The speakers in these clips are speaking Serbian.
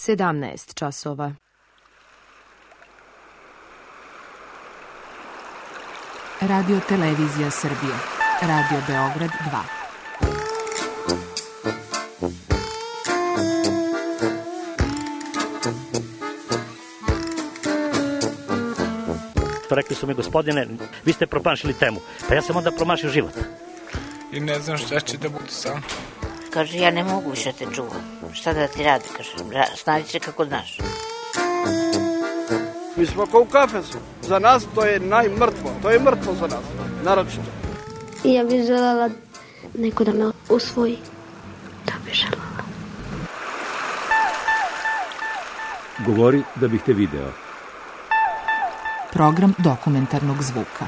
17 časova. Radio Televizija Srbije. Radio Beograd 2. Rekli su mi, gospodine, vi ste promašili temu. Pa ja sam onda promašio život. I ne znam šta će da bude sam. Kaže, ja ne mogu više te čuvam. Šta da ti radi, kaže, snađi se kako znaš. Mi smo kao u kafesu. Za nas to je najmrtvo. To je mrtvo za nas, naročito. Ja bih želela neko da me usvoji. To bih želela. Govori da bih te video. Program dokumentarnog zvuka.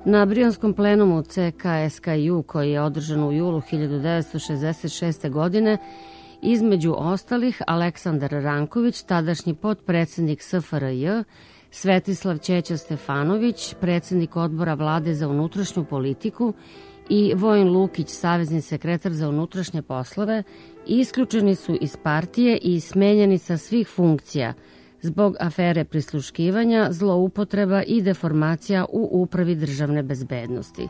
Na Brionskom plenumu CK-SKJ-u koji je održan u julu 1966. godine, između ostalih Aleksandar Ranković, tadašnji potpredsjednik SFRJ, Svetislav Ćeća Stefanović, predsjednik odbora vlade za unutrašnju politiku i Vojin Lukić, savezni sekretar za unutrašnje poslove, isključeni su iz partije i smenjeni sa svih funkcija zbog afere prisluškivanja, zloupotreba i deformacija u Upravi državne bezbednosti.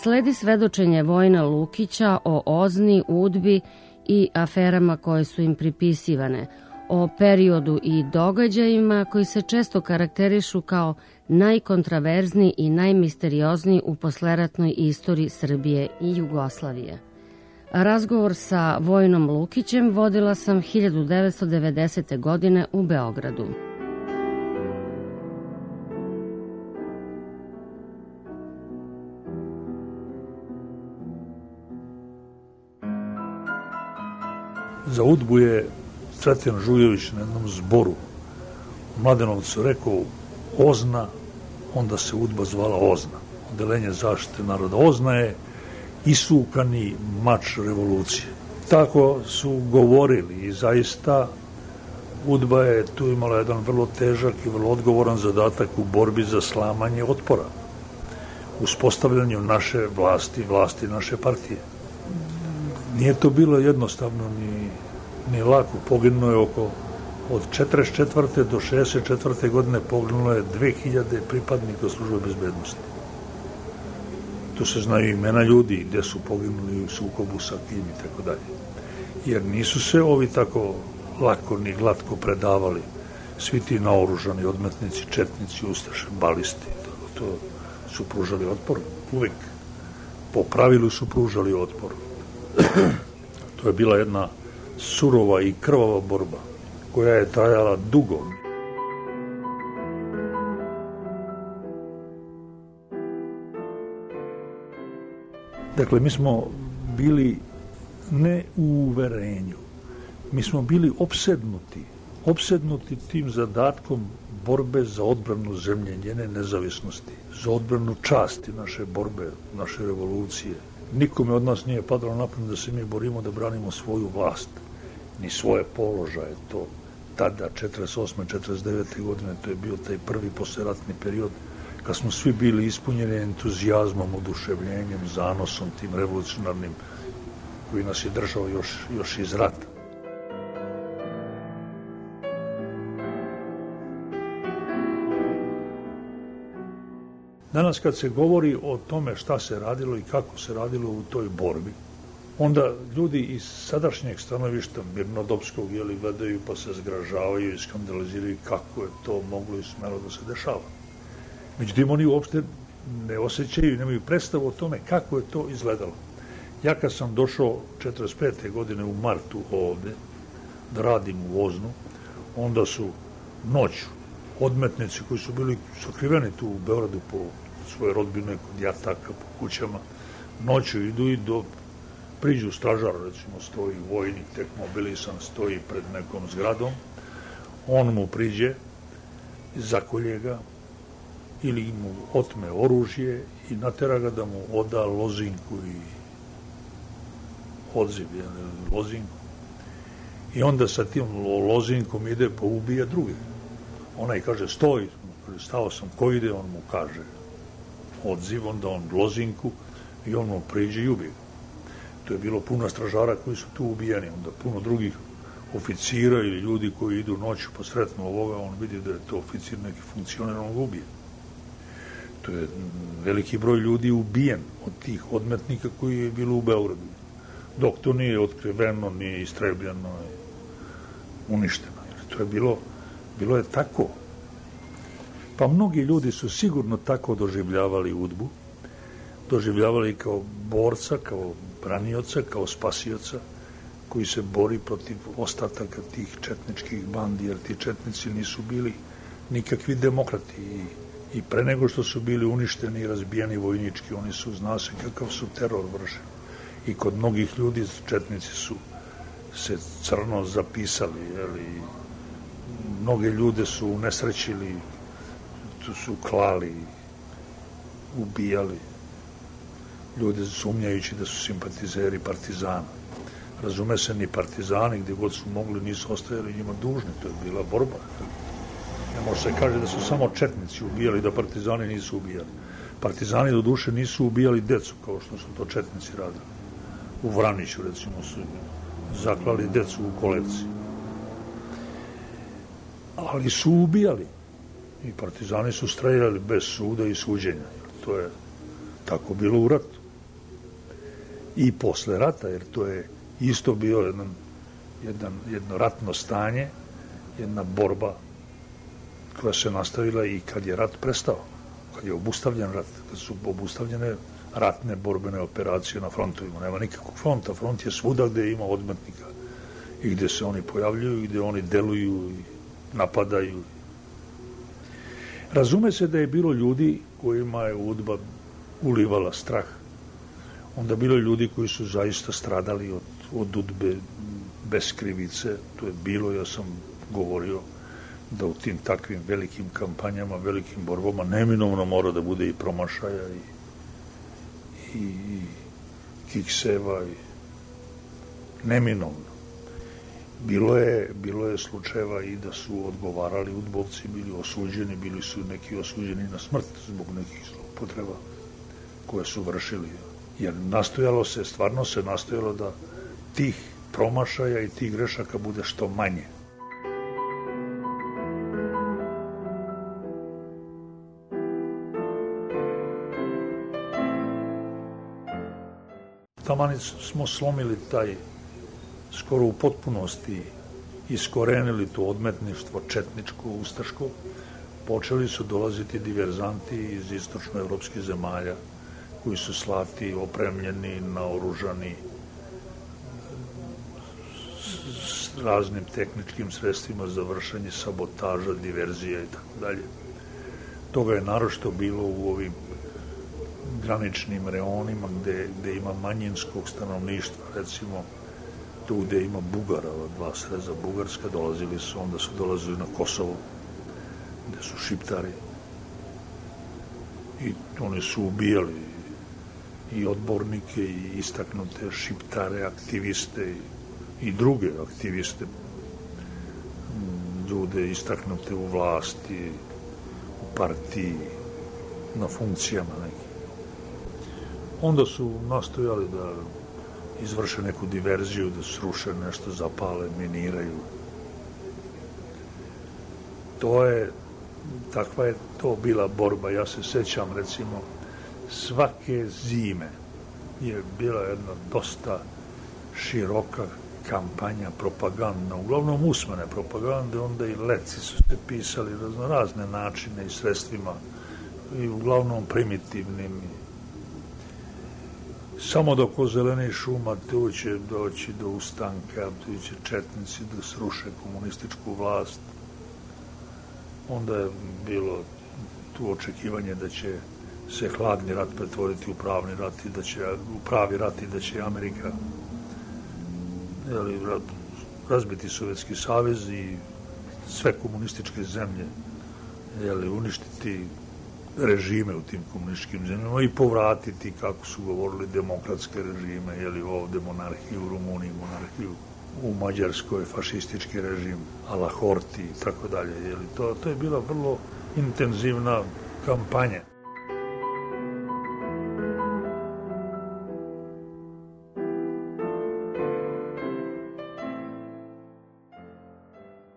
Sledi svedočenje Vojina Lukića o OZNI, UDBI i aferama koje su im pripisivane, o periodu i događajima koji se često karakterišu kao najkontraverzniji i najmisteriozniji u posleratnoj istoriji Srbije i Jugoslavije. Razgovor sa Vojinom Lukićem vodila sam 1990. godine u Beogradu. Za UDBU je Cvetijan Žujović na jednom zboru u Mladenovcu rekao OZNA, onda se UDBA zvala OZNA, Odelenje zaštite naroda. OZNA je isukani mač revolucije. Tako su govorili i zaista UDBA je tu imala jedan vrlo težak i vrlo odgovoran zadatak u borbi za slamanje otpora, uspostavljanju naše vlasti naše partije. Nije to bilo jednostavno ni lako. Poginulo je od 44. do 64. godine poginulo je 2000 pripadnika službe bezbednosti. Tu se znaju imena ljudi gde su poginuli u sukobu sa kim i tako dalje. Jer nisu se ovi tako lako ni glatko predavali. Svi ti naoružani odmetnici, četnici, ustaše, balisti. To su pružali otpor. Uvek po pravilu su pružali otpor. To je bila jedna surova i krvava borba koja je trajala dugo. Dakle, mi smo bili ne u uverenju, mi smo bili opsednuti tim zadatkom borbe za odbranu zemlje, njene nezavisnosti, za odbranu časti naše borbe, naše revolucije. Nikome od nas nije padalo na pamet da se mi borimo da branimo svoju vlast, ni svoje položaje. To tada, 48. 49. godine, to je bio taj prvi posleratni period kad smo svi bili ispunjeni entuzijazmom, oduševljenjem, zanosom tim revolucionarnim koji nas je držao još iz rata. Danas kad se govori o tome šta se radilo i kako se radilo u toj borbi, onda ljudi iz sadašnjeg stanovišta mirnodopskog gledaju pa se zgražavaju i skandaliziraju kako je to moglo i smelo da se dešava. Međutim, oni uopšte ne osjećaju i nemaju predstavu o tome kako je to izgledalo. Ja kad sam došao 45. godine u martu ovde da radim u OZNU, onda su noću odmetnici koji su bili sakriveni tu u Beogradu po svoje rodbine, kod jataka, po kućama, noću idu i priđu stražar, recimo stoji vojnik, tek mobilisan, stoji pred nekom zgradom, on mu priđe, zakolje ga, ili mu otme oružje i natera ga da mu oda lozinku i odziv, lozinku. I onda sa tim lozinkom ide pa ubija druge. Onaj kaže stoj, stao sam, ko ide, on mu kaže odziv, onda on lozinku i on mu priđe i ubije. To je bilo puno stražara koji su tu ubijeni, onda puno drugih oficira ili ljudi koji idu noću pa sretnu ovoga, on vidi da je to oficir, neki funkcioner, on ga ubije. To je veliki broj ljudi ubijen od tih odmetnika koji je bilo u Beogradu. Dok to nije otkriveno, nije istrebljeno, uništeno. To je bilo je tako. Pa mnogi ljudi su sigurno tako doživljavali UDBU, doživljavali kao borca, kao branioca, kao spasioca, koji se bori protiv ostataka tih četničkih bandi, jer ti četnici nisu bili nikakvi demokrati i pre nego što su bili uništeni i razbijeni vojnički, oni su, zna se kakav su teror vršeni. I kod mnogih ljudi četnici su se crno zapisali, jeli, mnoge ljude su unesrećili, tu su klali, ubijali, ljude sumnjajući da su simpatizeri partizana. Razume se, ni partizani gdje god su mogli nisu ostajali njima dužni, to je bila borba. Ne može se kaže da su samo četnici ubijali, da partizani nisu ubijali. Partizani do duše nisu ubijali decu kao što su to četnici radili. U Vraniću recimo su zaklali decu u kolevci. Ali su ubijali. I partizani su streljali bez suda i suđenja. To je tako bilo u ratu. I posle rata, jer to je isto bio jedno ratno stanje, jedna borba koja se nastavila i kad je rat prestao, kad je obustavljen rat, kad su obustavljene ratne borbene operacije na frontovima. Nema nikakvog fronta, front je svuda gde ima odmetnika i gde se oni pojavljuju i gde oni deluju i napadaju. Razume se da je bilo ljudi kojima je UDBA ulivala strah. Onda bilo ljudi koji su zaista stradali od UDBE bez krivice. To je bilo, ja sam govorio da u tim takvim velikim kampanjama, velikim borbama neminovno mora da bude i promašaja i kikseva i neminovno. Bilo je slučajeva i da su odgovarali udbovci, bili osuđeni, bili su neki osuđeni na smrt zbog nekih zloupotreba koje su vršili. Jer stvarno se nastojalo da tih promašaja i tih grešaka bude što manje. Taman smo slomili taj, skoro u potpunosti iskorenili to odmetništvo četničko, ustaško. Počeli su dolaziti diverzanti iz istočnoevropskih zemalja koji su slati, opremljeni, naoružani s raznim tehničkim sredstvima za vršenje sabotaža, diverzija i tako dalje. Toga je naročito bilo u ovim graničnim reonima gde ima manjinskog stanovništva, recimo tu gde ima Bugara, dva sreza Bugarska, onda su dolazili na Kosovo, gde su Šiptari i oni su ubijali i odbornike i istaknute Šiptare, aktiviste i druge aktiviste, ljude istaknute u vlasti, u partiji, na funkcijama nekim. Onda su nastojali da izvrše neku diverziju, da sruše nešto, zapale, miniraju. Takva je to bila borba. Ja se sećam, recimo, svake zime je bila jedna dosta široka kampanja propagandna, uglavnom usmene propagande, onda i leci su se pisali razne načine i sredstvima i uglavnom primitivnim. Samo dok ozelenih šuma tu će doći do ustanka, tu će četnici da sruše komunističku vlast. Onda je bilo tu očekivanje da će se hladni rat pretvoriti u pravi rat i da će Amerika razbiti Sovjetski savez i sve komunističke zemlje uništiti režime u tim komunističkim zemljama i povratiti, kako su govorili, demokratske režime, ovde monarhiju u Rumuniji, monarhiju u Mađarskoj, fašistički režim, a la Horti i tako dalje. To je bila vrlo intenzivna kampanja.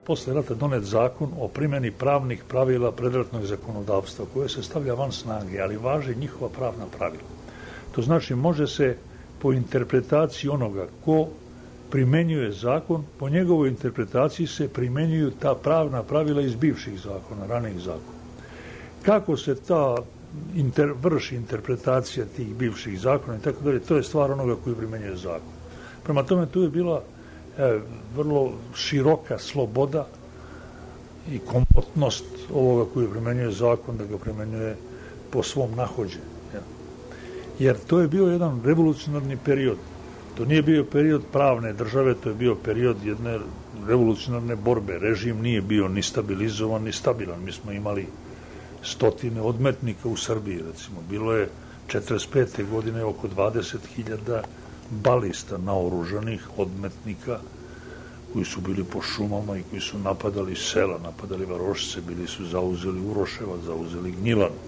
posle rata donet zakon o primjeni pravnih pravila predratnog zakonodavstva koje se stavlja van snage, ali važe njihova pravna pravila. To znači može se po interpretaciji onoga ko primenjuje zakon, po njegovoj interpretaciji se primenjuju ta pravna pravila iz bivših zakona, ranijih zakona. Kako se ta vrši interpretacija tih bivših zakona i tako dalje, to je stvar onoga koji primenjuje zakon. Prema tome, tu je bila vrlo široka sloboda i komotnost ovoga koji primenjuje zakon da ga primenjuje po svom nahođenju. Jer to je bio jedan revolucionarni period. To nije bio period pravne države, to je bio period jedne revolucionarne borbe. Režim nije bio ni stabilizovan, ni stabilan. Mi smo imali stotine odmetnika u Srbiji, recimo. Bilo je 45. godine oko 20.000 balista naoružanih odmetnika koji su bili po šumama i koji su napadali sela, napadali varošice, bili su zauzeli Uroševac, zauzeli Gnjilanu.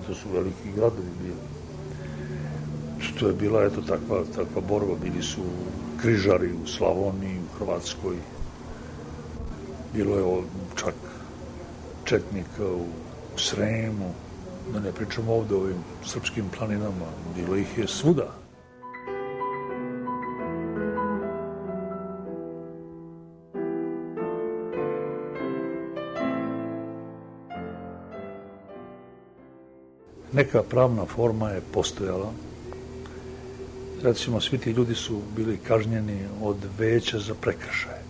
To su veliki gradovi bili. To je bila takva borba. Bili su križari u Slavoniji, u Hrvatskoj. Bilo je čak četnika u Sremu, da ne pričamo ovde o ovim srpskim planinama. Bilo ih je svuda. Neka pravna forma je postojala. Recimo, svi ti ljudi su bili kažnjeni od veća za prekršaje.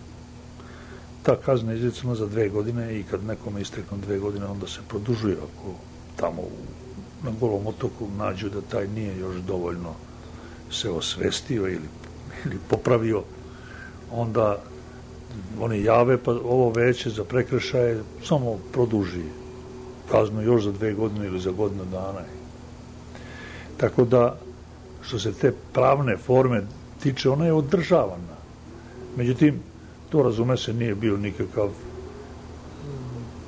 Ta kazna je izricana za 2 godine i kad nekome isteknu 2 godine, onda se produžuje ako tamo na Golom otoku nađu da taj nije još dovoljno se osvestio ili popravio, onda oni jave, pa ovo veće za prekršaje samo produži kaznu još za 2 godine ili za godinu dana. Tako da, što se te pravne forme tiče, ona je održavana. Međutim, to, razume se, nije bio nikakav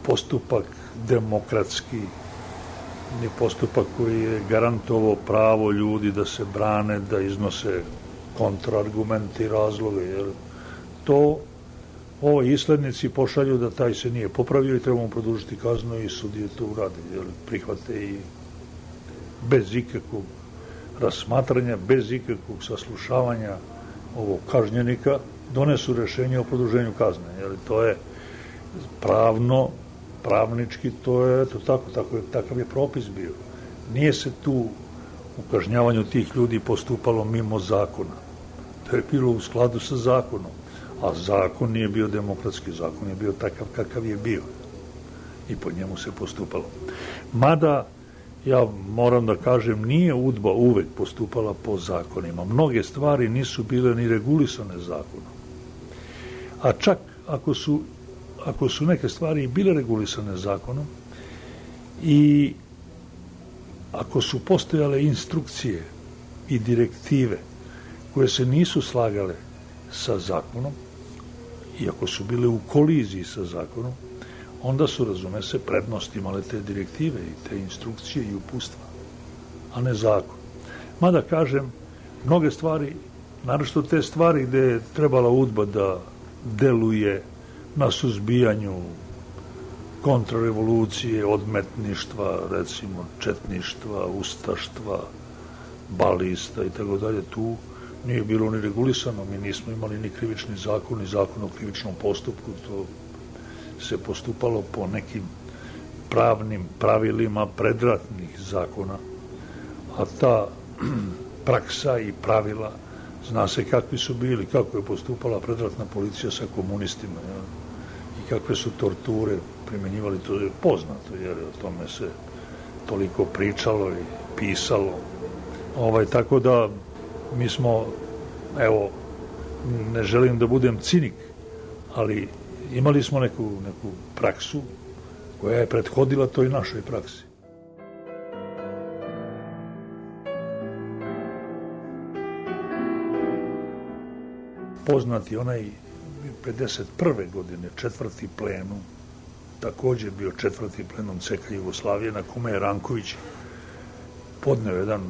postupak demokratski, ni postupak koji je garantovao pravo ljudi da se brane, da iznose kontraargumenti i razloge, jer to ovi islednici pošalju da taj se nije popravio i trebamo produžiti kaznu i sudije to urade, jer prihvate i bez ikakvog razmatranja, bez ikakvog saslušavanja ovog kažnjenika, donesu rešenje o produženju kazne. Jer to je pravnički, to je takav je propis bio. Nije se tu u kažnjavanju tih ljudi postupalo mimo zakona. To je bilo u skladu sa zakonom. A zakon nije bio demokratski, zakon je bio takav kakav je bio. I po njemu se postupalo. Mada, ja moram da kažem, nije UDBA uvek postupala po zakonima. Mnoge stvari nisu bile ni regulisane zakonom. A čak ako su neke stvari bile regulisane zakonom i ako su postojale instrukcije i direktive koje se nisu slagale sa zakonom i ako su bile u koliziji sa zakonom, onda su, razume se, prednost imale te direktive i te instrukcije i upustva, a ne zakon. Mada, kažem, mnoge stvari, naročito te stvari gde je trebala UDBA da deluje na suzbijanju kontrarevolucije, odmetništva, recimo četništva, ustaštva, balista i tako dalje, tu nije bilo ni regulisano. Mi nismo imali ni krivični zakon, ni zakon o krivičnom postupku. To se postupalo po nekim pravnim pravilima predratnih zakona, a ta praksa i pravila, zna se kakvi su bili, kako je postupala predratna policija sa komunistima, ja? I kakve su torture primenjivali, to je poznato, jer o tome se toliko pričalo i pisalo. Tako da mi smo, evo, ne želim da budem cinik, ali imali smo neku praksu koja je prethodila toj našoj praksi. Poznati onaj 51. godine 4. plenum, takođe bio 4. plenum CK Jugoslavije, na kome je Ranković podneo jedan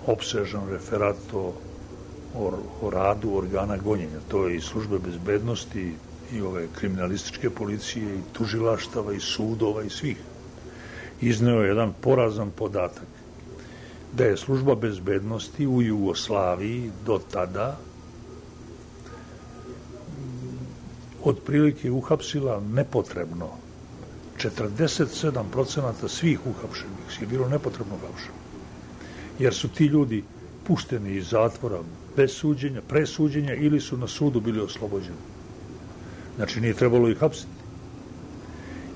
opsežan referat o radu organa gonjenja. To je i službe bezbednosti, i ove kriminalističke policije, i tužilaštava, i sudova, i svih, izneo jedan porazan podatak da je služba bezbednosti u Jugoslaviji do tada otprilike uhapsila nepotrebno 47% svih uhapšenih je bilo nepotrebno uhapšeno, jer su ti ljudi pušteni iz zatvora bez suđenja, pre suđenja, ili su na sudu bili oslobođeni. Znači, nije trebalo ih hapsiti.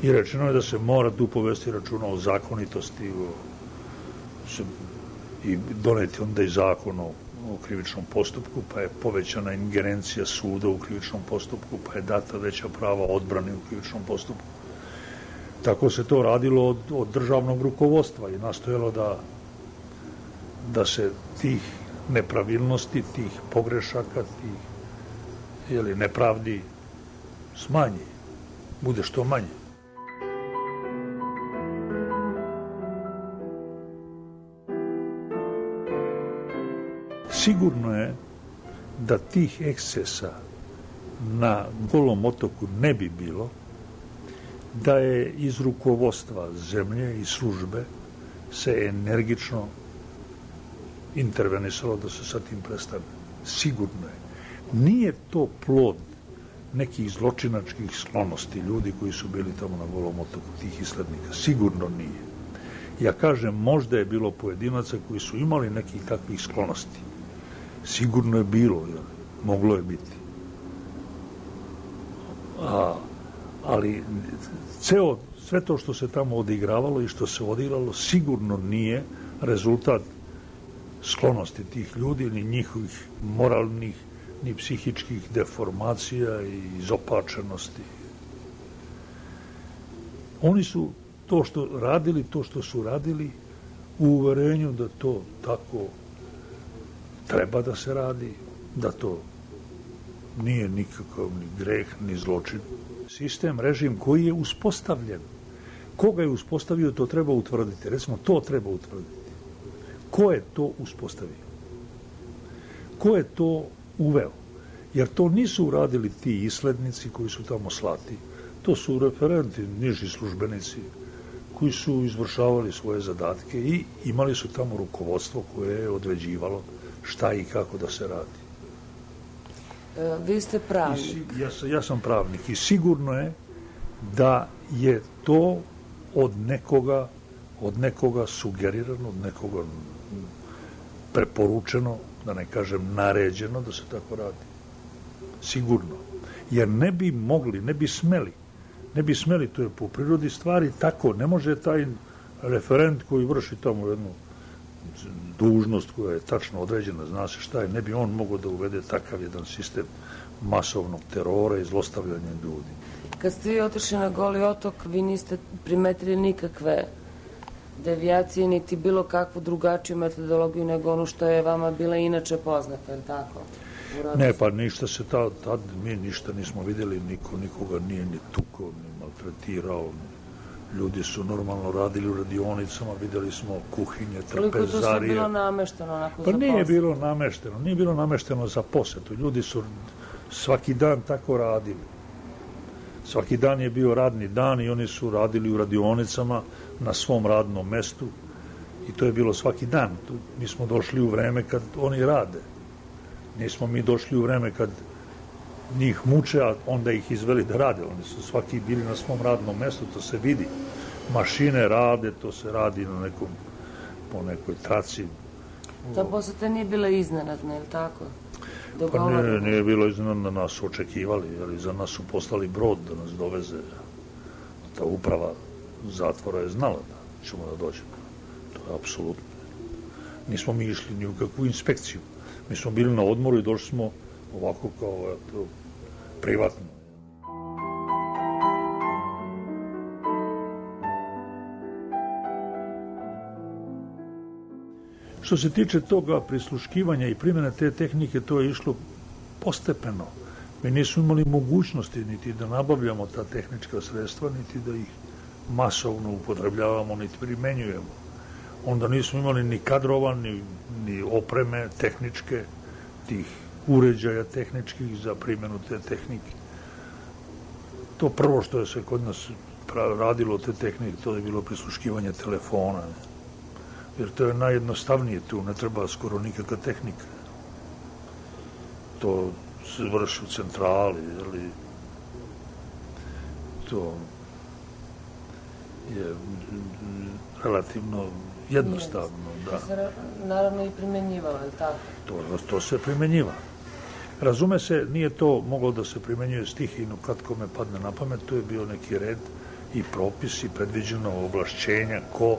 I rečeno je da se mora tu povesti računa o zakonitosti i doneti onda i zakon o krivičnom postupku, pa je povećana ingerencija suda u krivičnom postupku, pa je data veća prava odbrane u krivičnom postupku. Tako se to radilo od državnog rukovodstva i nastojalo da se tih nepravilnosti, tih pogrešaka, tih nepravdi smanji, bude što manje. Sigurno je da tih ekscesa na Golom otoku ne bi bilo, da je iz rukovodstva zemlje i službe se energično intervenisalo da se sa tim prestane. Sigurno je. Nije to plod nekih zločinačkih sklonosti ljudi koji su bili tamo na Golom otoku, tih islednika. Sigurno nije. Ja kažem, možda je bilo pojedinaca koji su imali nekih takvih sklonosti. Sigurno je bilo, moglo je biti. Ali sve to što se tamo odigravalo i što se odigralo sigurno nije rezultat sklonosti tih ljudi, ni njihovih moralnih, ni psihičkih deformacija i izopačenosti. Oni su to što su radili u uverenju da to tako treba da se radi, da to nije nikakav ni greh, ni zločin. Sistem, režim koji je uspostavljen. Koga je uspostavio, to treba utvrditi. Recimo, to treba utvrditi. Ko je to uspostavio? Ko je to uveo? Jer to nisu uradili ti islednici koji su tamo slati. To su referenti, niži službenici koji su izvršavali svoje zadatke i imali su tamo rukovodstvo koje je određivalo šta i kako da se radi. Vi ste pravnik. Ja sam pravnik i sigurno je da je to od nekoga sugerirano, od nekoga preporučeno, da ne kažem naređeno da se tako radi. Sigurno. Jer ne bi mogli, ne bi smeli, to je po prirodi stvari tako. Ne može taj referent koji vrši tamo jednu dužnost koja je tačno određena, zna se šta je, ne bi on mogao da uvede takav jedan sistem masovnog terora i zlostavljanja ljudi. Kad ste vi otišli na Goli otok, vi niste primetili nikakve devijacije, niti bilo kakvu drugačiju metodologiju nego ono što je vama bila inače poznata, je li tako? Ne, pa ništa se tad mi ništa nismo vidjeli, niko nikoga nije ni tukao, ni maltretirao, ljudi su normalno radili u radionicama, vidjeli smo kuhinje, trpezarije. Koliko to sve bilo namešteno onako pa za nije bilo namešteno za posetu. Ljudi su svaki dan tako radili. Svaki dan je bio radni dan i oni su radili u radionicama na svom radnom mestu i to je bilo svaki dan. Mi smo došli u vreme kad oni rade. Nismo mi došli u vreme kad njih muče, a onda ih izveli da rade. Oni su svaki bili na svom radnom mestu, to se vidi. Mašine rade, to se radi po nekoj traci. Ta poseta nije bila iznenadna, je li tako? Pa nije bilo iznenadna, nas su očekivali, jer za nas su poslali brod da nas doveze. Ta uprava zatvora je znala da ćemo da dođemo. To je apsolutno. Nismo mi išli ni u kakvu inspekciju. Mi smo bili na odmoru i došli smo ovako kao privatno. Što se tiče toga prisluškivanja i primjene te tehnike, to je išlo postepeno. Mi nismo imali mogućnosti niti da nabavljamo ta tehnička sredstva, niti da ih masovno upotrebljavamo, niti primenjujemo. Onda nismo imali ni kadrova, ni opreme tehničke, tih uređaja tehničkih za primjenu te tehnike. To prvo što je se kod nas radilo te tehnike, to je bilo prisluškivanje telefona. Jer to je najjednostavnije tu, ne treba skoro nikakva tehnika. To se vrši u centrali, ali to je relativno jednostavno. Da. To se naravno i primenjivalo, je li tako? To se primenjiva. Razume se, nije to moglo da se primenjuje stihijno kad kome padne na pamet, to je bio neki red i propis i predviđeno ovlašćenja ko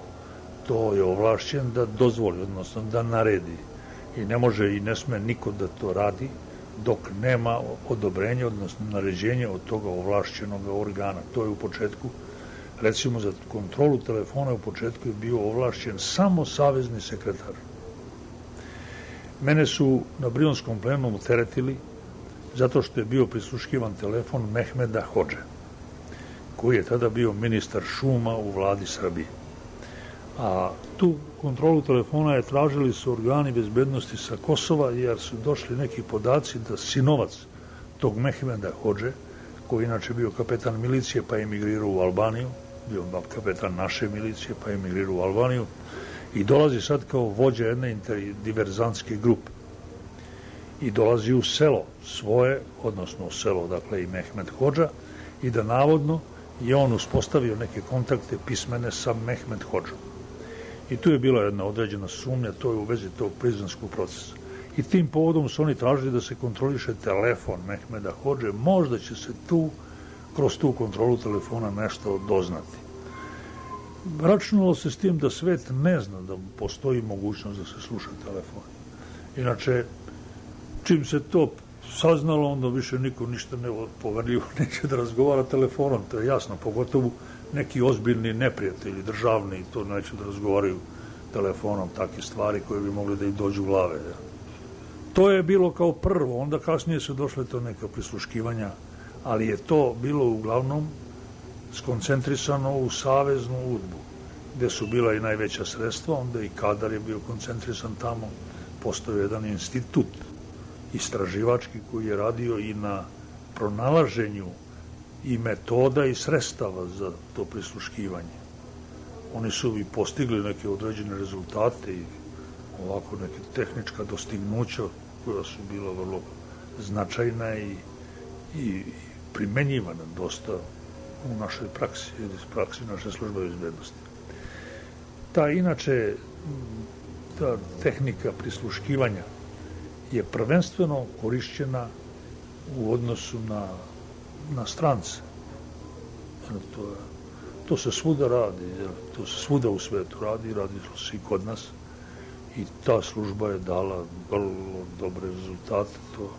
to je ovlašćen da dozvoli, odnosno da naredi. I ne može i ne sme niko da to radi dok nema odobrenja, odnosno naređenja od toga ovlašćenog organa. To je u početku, recimo za kontrolu telefona u početku je bio ovlašćen samo savezni sekretar. Mene su na Brionskom plenumu teretili zato što je bio prisluškivan telefon Mehmeda Hodže, koji je tada bio ministar šuma u vladi Srbije. A tu kontrolu telefona je tražili su organi bezbednosti sa Kosova, jer su došli neki podaci da sinovac tog Mehmeda Hodže, koji inače bio kapetan milicije pa je emigrirao u Albaniju, bio kapetan naše milicije pa je emigrirao u Albaniju, i dolazi sad kao vođa jedne diverzantske grupe. I dolazi u selo svoje, odnosno u selo, dakle i Mehmed Hodža, i da navodno je on uspostavio neke kontakte pismene sa Mehmed Hodžom. I tu je bila jedna određena sumnja, to je u vezi tog prizrenskog procesa. I tim povodom su oni tražili da se kontroliše telefon Mehmeda Hodže, možda će se tu, kroz tu kontrolu telefona nešto doznati. Računalo se s tim da svet ne zna da postoji mogućnost da se sluša telefon. Inače, čim se to saznalo, onda više niko ništa ne poverljivo neće da razgovara telefonom, to je jasno, pogotovo neki ozbiljni neprijatelji, državni, to neće da razgovaraju telefonom, takve stvari koje bi mogli da im dođu u glave. To je bilo kao prvo, onda kasnije su došle to neka prisluškivanja, ali je to bilo uglavnom skoncentrisano u saveznu udbu, gde su bila i najveća sredstva, onda i kadar je bio koncentrisan tamo, postoji jedan institut istraživački koji je radio i na pronalaženju i metoda i sredstava za to prisluškivanje. Oni su i postigli neke određene rezultate i ovako neke tehnička dostignuća koja su bila vrlo značajna i primenjivana dosta u našoj praksi, ili praksi naše službe bezbednosti. Inače, ta tehnika prisluškivanja je prvenstveno korišćena u odnosu na strance. To se svuda radi, to se svuda u svetu radi se i kod nas. I ta služba je dala vrlo dobre rezultate, to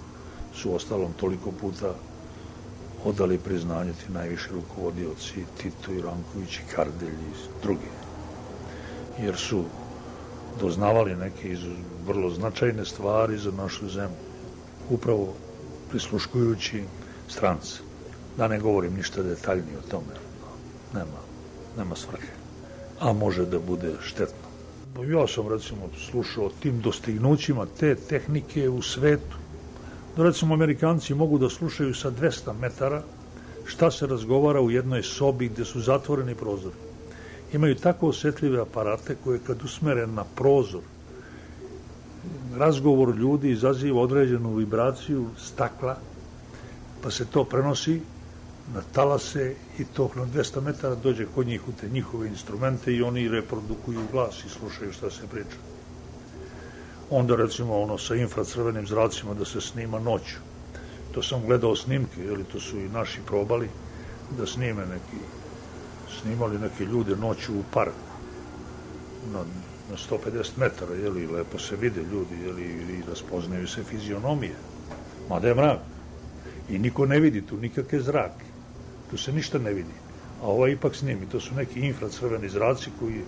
su ostalom toliko puta odali priznanje ti najviši rukovodioci, Tito i Ranković i Kardelj i drugi. Jer su doznavali neke vrlo značajne stvari za našu zemlju, upravo prisluškujući strance. Da ne govorim ništa detaljnije o tome, nema svrhe, a može da bude štetno. Ja sam, recimo, slušao o tim dostignućima te tehnike u svetu. Recimo, Amerikanci mogu da slušaju sa 200 metara šta se razgovara u jednoj sobi gde su zatvoreni prozori. Imaju tako osetljive aparate koje kad usmere na prozor, razgovor ljudi izaziva određenu vibraciju stakla, pa se to prenosi na talase i to na 200 metara dođe kod njih u te njihove instrumente i oni reprodukuju glas i slušaju šta se priča. Onda, recimo, sa infracrvenim zracima da se snima noću. To sam gledao snimke, to su i naši probali da snimali neke ljude noću u parku na 150 metara, lepo se vide ljudi, i raspoznaju se fizionomije, mada je mrak i niko ne vidi tu nikakve zrake, tu se ništa ne vidi, a ovaj ipak snimi, to su neki infracrveni zraci koji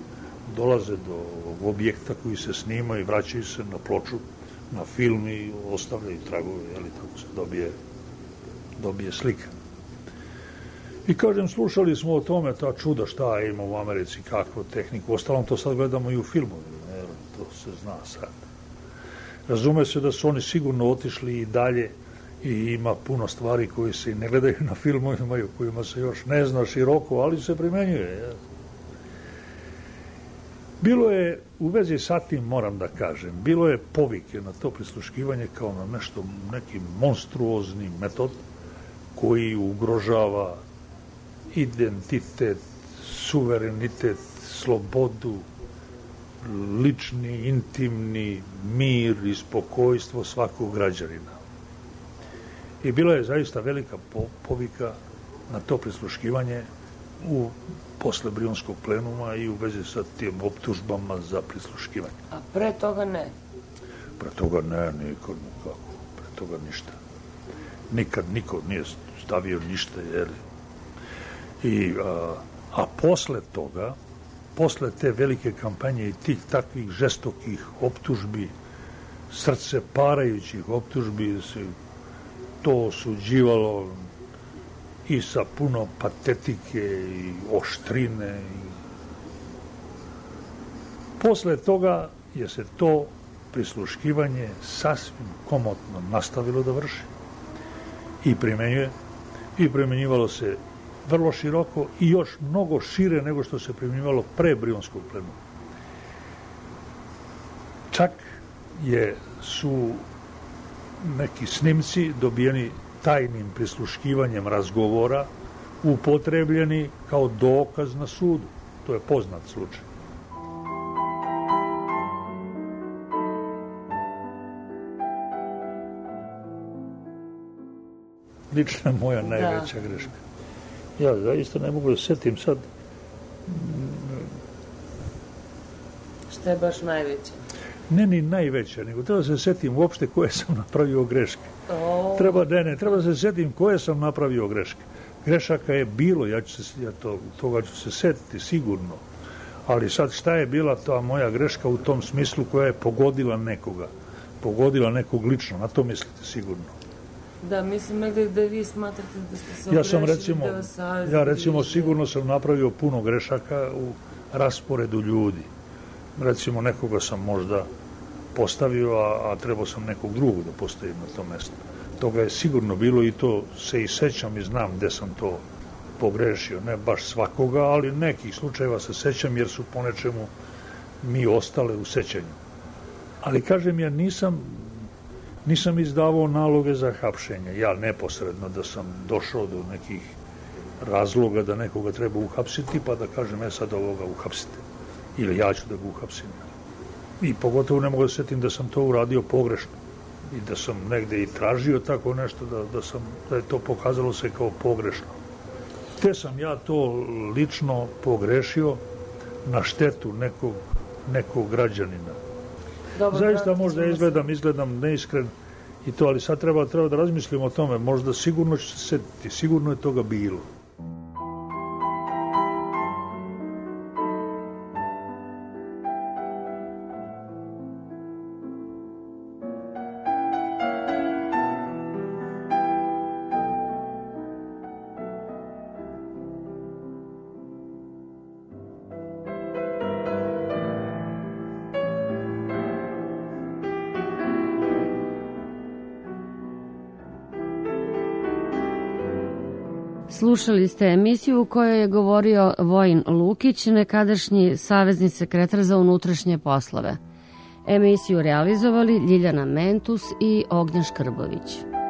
dolaze do objekta koji se snima i vraćaju se na ploču, na film i ostavljaju tragove, tako se dobije slika. I kažem, slušali smo o tome, ta čuda šta ima u Americi, kakvu tehniku, ostalom to sad gledamo i u filmovima, to se zna sad. Razume se da su oni sigurno otišli i dalje i ima puno stvari koje se i ne gledaju na filmovima i o kojima se još ne zna široko, ali se primenjuje. Bilo je, u vezi sa tim moram da kažem, bilo je povike na to prisluškivanje kao na nešto, neki monstruozni metod koji ugrožava identitet, suverenitet, slobodu, lični, intimni mir i spokojstvo svakog građanina. I bila je zaista velika povika na to prisluškivanje posle Brionskog plenuma i u vezi sa tim optužbama za prisluškivanje. A pre toga ne? Pre toga ne, nikako. Pre toga ništa. Nikad niko nije stavio ništa, a posle toga, posle te velike kampanje i tih takvih žestokih optužbi, srce parajućih optužbi, se to osuđivalo i sa puno patetike i oštrine. Posle toga je se to prisluškivanje sasvim komotno nastavilo da vrši i primenjuje i primenjivalo se vrlo široko i još mnogo šire nego što se primenjivalo pre Brionskog plenuma. Čak su neki snimci dobijeni tajnim prisluškivanjem razgovora upotrebljeni kao dokaz na sudu. To je poznat slučaj. Lična moja najveća greška. Ja zaista ne mogu da setim sad. Šta je baš najveća? Ne ni najveća, nego treba se setim uopšte koje sam napravio greške. Treba da se setim koje sam napravio greške. Grešaka je bilo, toga ću se setiti sigurno. Ali sad šta je bila ta moja greška u tom smislu koja je pogodila nekoga? Pogodila nekog lično, na to mislite sigurno. Da, mislim da vi smatrate da ste se ogrešili, da vas savjeti. Ja recimo sigurno sam napravio puno grešaka u rasporedu ljudi. Recimo nekoga sam možda postavio, a trebao sam nekog drugog da postavim na to mesto. Toga je sigurno bilo i to se i sećam i znam gde sam to pogrešio. Ne baš svakoga, ali nekih slučajeva se sećam jer su po nečemu mi ostale u sećanju. Ali kažem, ja nisam izdavao naloge za hapšenje. Ja neposredno da sam došao do nekih razloga da nekoga treba uhapsiti, pa da kažem, sad ovoga uhapsite. Ili ja ću da ga uhapsim. I pogotovo ne mogu da setim da sam to uradio pogrešno. I da sam negde i tražio tako nešto, da je to pokazalo se kao pogrešno. Te sam ja to lično pogrešio na štetu nekog građanina. Zaista možda izgledam neiskren i to, ali sad treba da razmislimo o tome. Možda sigurno će se setiti, sigurno je toga bilo. Slušali ste emisiju u kojoj je govorio Vojin Lukić, nekadašnji savezni sekretar za unutrašnje poslove. Emisiju realizovali Ljiljana Mentus i Ognjen Škrbović.